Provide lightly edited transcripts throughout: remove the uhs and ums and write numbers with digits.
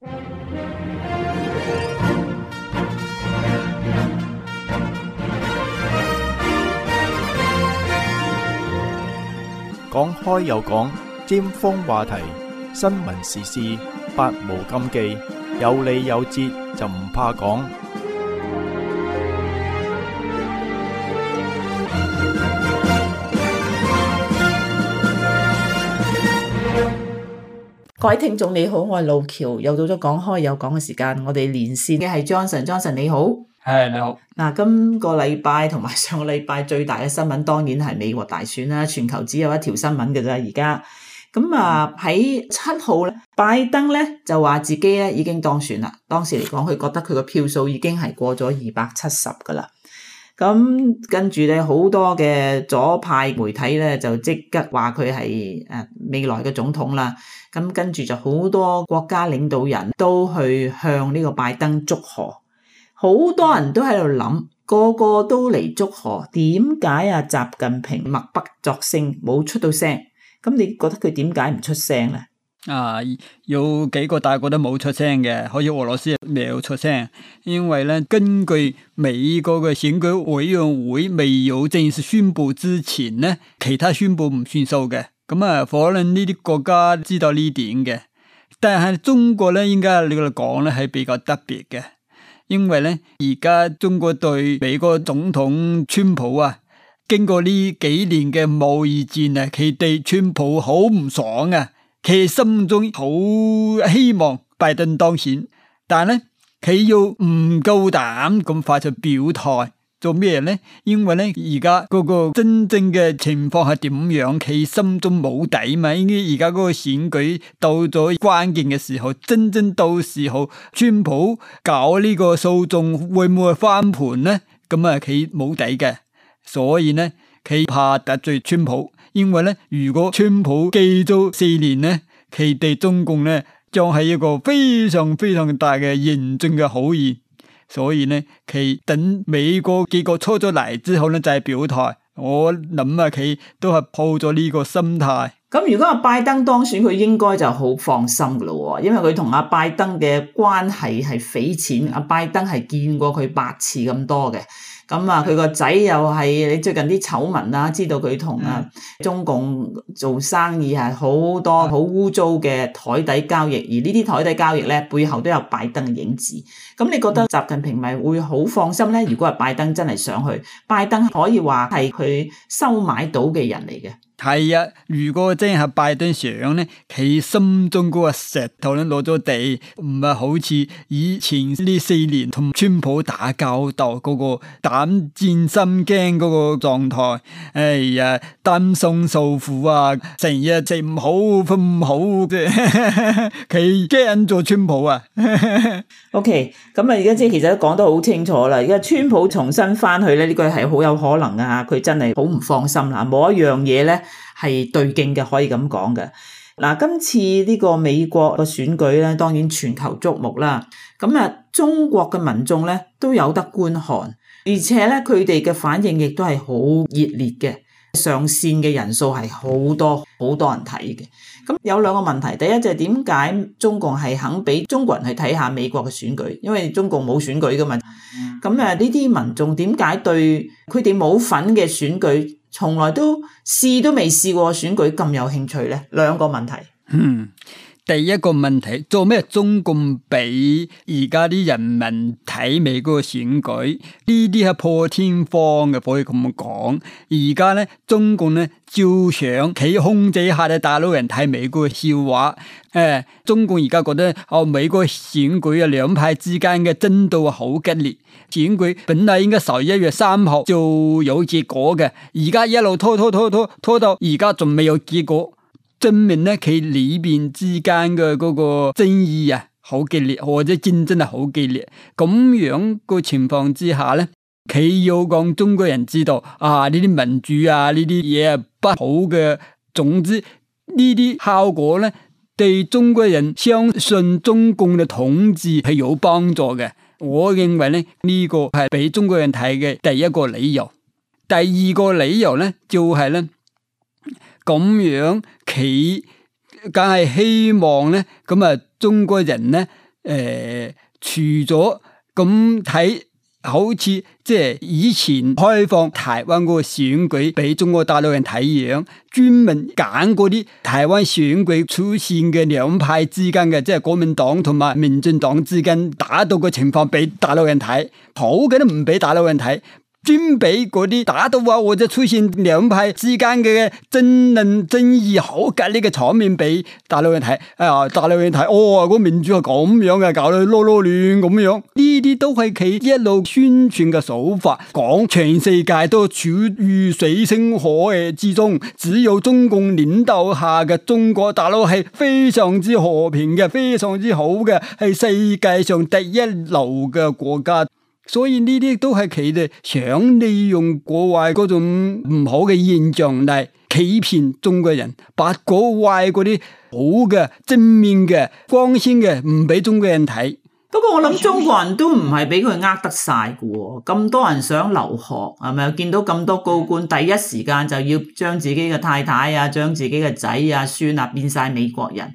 講開又講，尖鋒話題，新聞時事，百無禁忌，有理有節就唔怕講。各位聽眾你好，我係路橋，又到咗講開又講嘅時間，我哋連線嘅係 Johnson 你好。係你好。嗱，今個禮拜同埋上個禮拜最大嘅新聞當然係美國大選啦，全球只有一條新聞嘅啫而家。咁啊喺7號咧，拜登咧就話自己咧已經當選啦。當時嚟講，佢覺得佢個票數已經係過咗270噶啦。咁跟住咧，好多嘅左派媒體咧就即刻話佢係未來嘅總統啦。咁跟住就好多國家領導人都去向呢個拜登祝賀，好多人都喺度諗，個個都嚟祝賀，點解啊習近平默不作聲，冇出到聲？咁你覺得佢點解唔出聲咧？有幾個大國都冇出聲嘅，好似俄羅斯未有出聲，因為咧根據美國嘅選舉委員會未有正式宣布之前咧，其他宣布唔算數嘅。咁可能呢啲國家知道呢點嘅，但係中國咧應該你嚟講咧係比較特別嘅，因為咧而家中國對美國總統川普啊，經過呢幾年嘅貿易戰啊，佢對川普好唔爽啊，佢心中好希望拜登當選，但係咧佢要唔夠膽咁快就表態。做咩咧？因為咧而家嗰個真正嘅情況係點樣，佢心中冇底嘛。因為而家嗰個選舉到咗關鍵嘅時候，真正到時候川普搞呢個訴訟會唔會翻盤咧？咁佢冇底嘅，所以咧佢怕得罪川普，因為咧如果川普記咗4年咧，佢對中共咧將係一個非常非常大嘅嚴峻嘅考驗。所以呢，佢等美國結果出咗嚟之後呢，就係表態。我諗佢都係抱咗呢個心態。咁如果阿拜登當選，佢應該就好放心噶咯，因為佢同阿拜登嘅關係係匪淺。阿拜登係見過佢8次咁多嘅。咁佢個仔又係你最近啲醜聞啦，知道佢同中共做生意係好多好污糟嘅台底交易，而呢啲台底交易咧背後都有拜登嘅影子。咁你覺得習近平咪會好放心咧？如果係拜登真係上去，拜登可以話係佢收買到嘅人嚟嘅。係啊，如果真係拜登上咧，佢心中嗰個石頭咧攞咗地，唔係好似以前呢4年同川普打交道嗰個膽戰心驚嗰個狀態。哎呀，擔心受苦啊，成日食唔好瞓唔好啫，佢驚咗川普啊。OK， 咁而家其實都講得好清楚啦。而家川普重新翻去咧，呢個係好有可能啊！佢真係好唔放心啦，冇一樣嘢咧係對勁嘅，可以咁講嘅。嗱，今次呢個美國嘅選舉咧，當然全球矚目啦。咁中國嘅民眾咧都有得觀看，而且咧佢哋嘅反應亦都係好熱烈嘅，上線嘅人數係好多人睇嘅。咁有兩個問題，第一就係點解中共係肯俾中國人去睇下美國嘅選舉？因為中共冇選舉噶嘛。咁呢啲民眾點解對佢哋冇份嘅選舉，從來都試都未試過選舉咁有興趣呢？兩個問題。第一個問題，做咩中共俾而家啲人民睇美國嘅選舉？呢啲係破天荒嘅，可以咁講。而家咧，中共咧照想佢控制下嘅大陸人睇美國嘅笑話。中共而家覺得美國選舉啊，兩派之間嘅爭鬥好激烈。選舉本來應該11月3號就有結果嘅，而家一路拖到而家仲未有結果。證明咧，佢裏邊之間嘅嗰個爭議啊，好激烈，或者競爭係好激烈。咁樣個情況之下咧，佢要講中國人知道呢啲民主啊，呢啲嘢係不好嘅。總之呢啲效果咧，對中國人相信中共嘅統治係有幫助嘅。我認為咧，呢個係俾中國人睇嘅第一個理由。第二個理由咧，就係咧。咁樣佢梗係希望咧，咁中國人咧除咗咁睇，好似即係以前開放台灣嗰個選舉俾中國大陸人睇樣，專門揀嗰啲台灣選舉出現嘅兩派之間嘅，即係國民黨同埋民進黨之間打鬥嘅情況俾大陸人睇，好嘅都唔俾大陸人睇。專俾嗰啲打到啊，或者出現兩派之間嘅爭論爭議好激烈嘅場面俾大陸人睇，大陸人睇，個民主係咁樣嘅，搞到囉囉亂咁樣，呢啲都係佢一路宣傳嘅手法，講全世界都處於水深火熱之中，只有中共領導下嘅中國大陸係非常之和平嘅，非常之好嘅，係世界上第一流嘅國家。所以呢啲都係佢哋想利用國外嗰種唔好嘅現象嚟欺騙中國人，把國外嗰啲好嘅正面嘅光鮮嘅唔俾中國人睇。不過我諗中國人都唔係俾佢呃得晒嘅喎，咁多人想留學係咪？見到咁多高官，第一時間就要將自己嘅太太啊、將自己嘅仔啊、孫啊變晒美國人。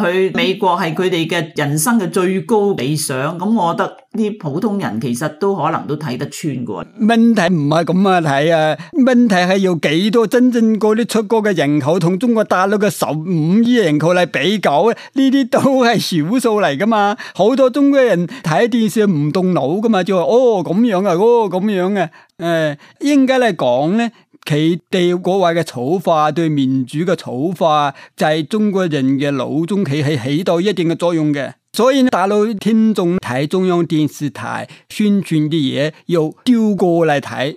去美國係佢哋嘅人生嘅最高理想，咁我覺得啲普通人其實都可能都睇得穿嘅。問題唔係咁樣睇啊，問題係有幾多真正嗰啲出國嘅人口同中國大陸嘅15億人口嚟比較，呢啲都係少數嚟噶嘛。好多中國人睇電視唔動腦噶嘛，就話咁樣啊，咁樣啊。應該嚟講咧，佢哋國外嘅醜化，對民主嘅醜化，就係中國人嘅腦中佢係起到一定嘅作用嘅。所以大陸聽眾睇中央電視台宣傳啲嘢，要調過嚟睇，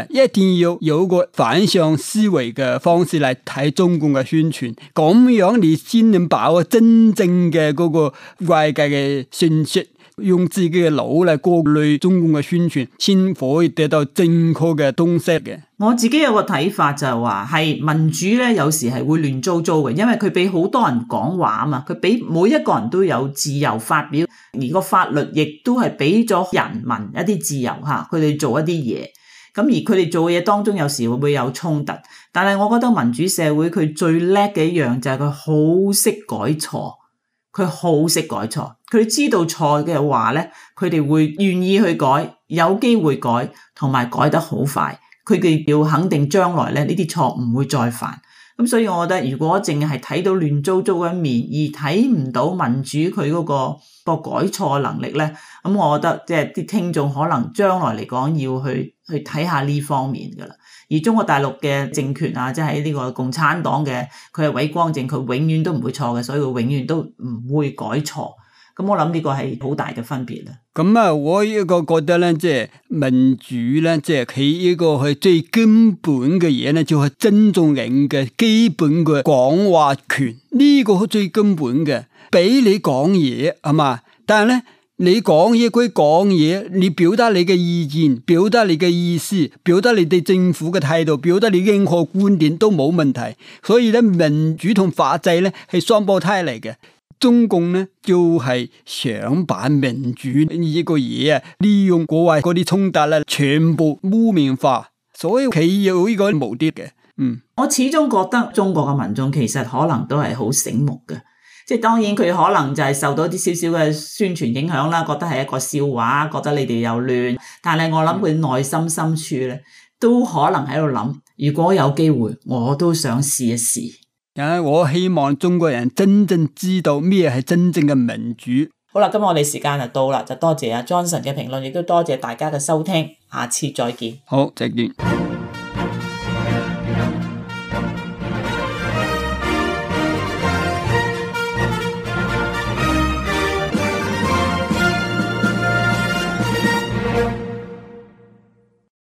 一定要有個反向思維嘅方式嚟睇中共嘅宣傳，咁樣你先能把握真正嘅嗰個外界嘅信息。用自己嘅腦嚟過濾中共嘅宣傳，先可以得到正確嘅東西嘅。我自己有個睇法就係話，係民主咧，有時係會亂糟糟嘅，因為佢俾好多人講話啊嘛，佢俾每一個人都有自由發表，而個法律亦都係俾咗人民一啲自由吓，佢哋做一啲嘢。咁而佢哋做嘅嘢當中，有時會有衝突，但係我覺得民主社會佢最叻嘅一樣就係佢好識改錯。佢好識改錯，佢知道錯嘅話咧，佢哋會願意去改，有機會改，同埋改得好快。佢哋要肯定將來咧，呢啲錯唔會再犯。咁所以我覺得，如果淨係睇到亂糟糟嘅一面，而睇唔到民主佢嗰個改錯能力咧，咁我覺得即係啲聽眾可能將來嚟講要去睇下呢方面噶啦。而中國大陸嘅政權啊，即係呢個共產黨嘅，佢係偉光正，佢永遠都唔會錯嘅，所以佢永遠都唔會改錯。咁我諗呢個係好大嘅分別啦。咁啊，我一個覺得咧，即係民主咧，即係佢呢個係最根本嘅嘢咧，就係尊重人嘅基本嘅講話權，呢個係最根本嘅，俾你講嘢係嘛，但係咧。你講嘢歸講嘢，你表達你嘅意見，表達你嘅意思，表達你對政府嘅態度，表達你任何觀點都冇問題。所以咧，民主同法制咧係雙胞胎嚟嘅。中共咧就係想把民主呢個嘢啊，利用國外嗰啲衝突咧，全部污名化，所以佢有呢個目的嘅。我始終覺得中國嘅民眾其實可能都係好醒目嘅。即係當然佢可能就係受到啲少少嘅宣傳影響啦，覺得係一個笑話，覺得你哋又亂。但係我諗佢內心深處咧，都可能喺度諗，如果有機會，我都想試一試。我希望中國人真正知道咩係真正嘅民主。好啦，今日我哋時間就到啦，就多謝阿 Johnson 嘅評論，亦都多謝大家嘅收聽，下次再見。好，再見。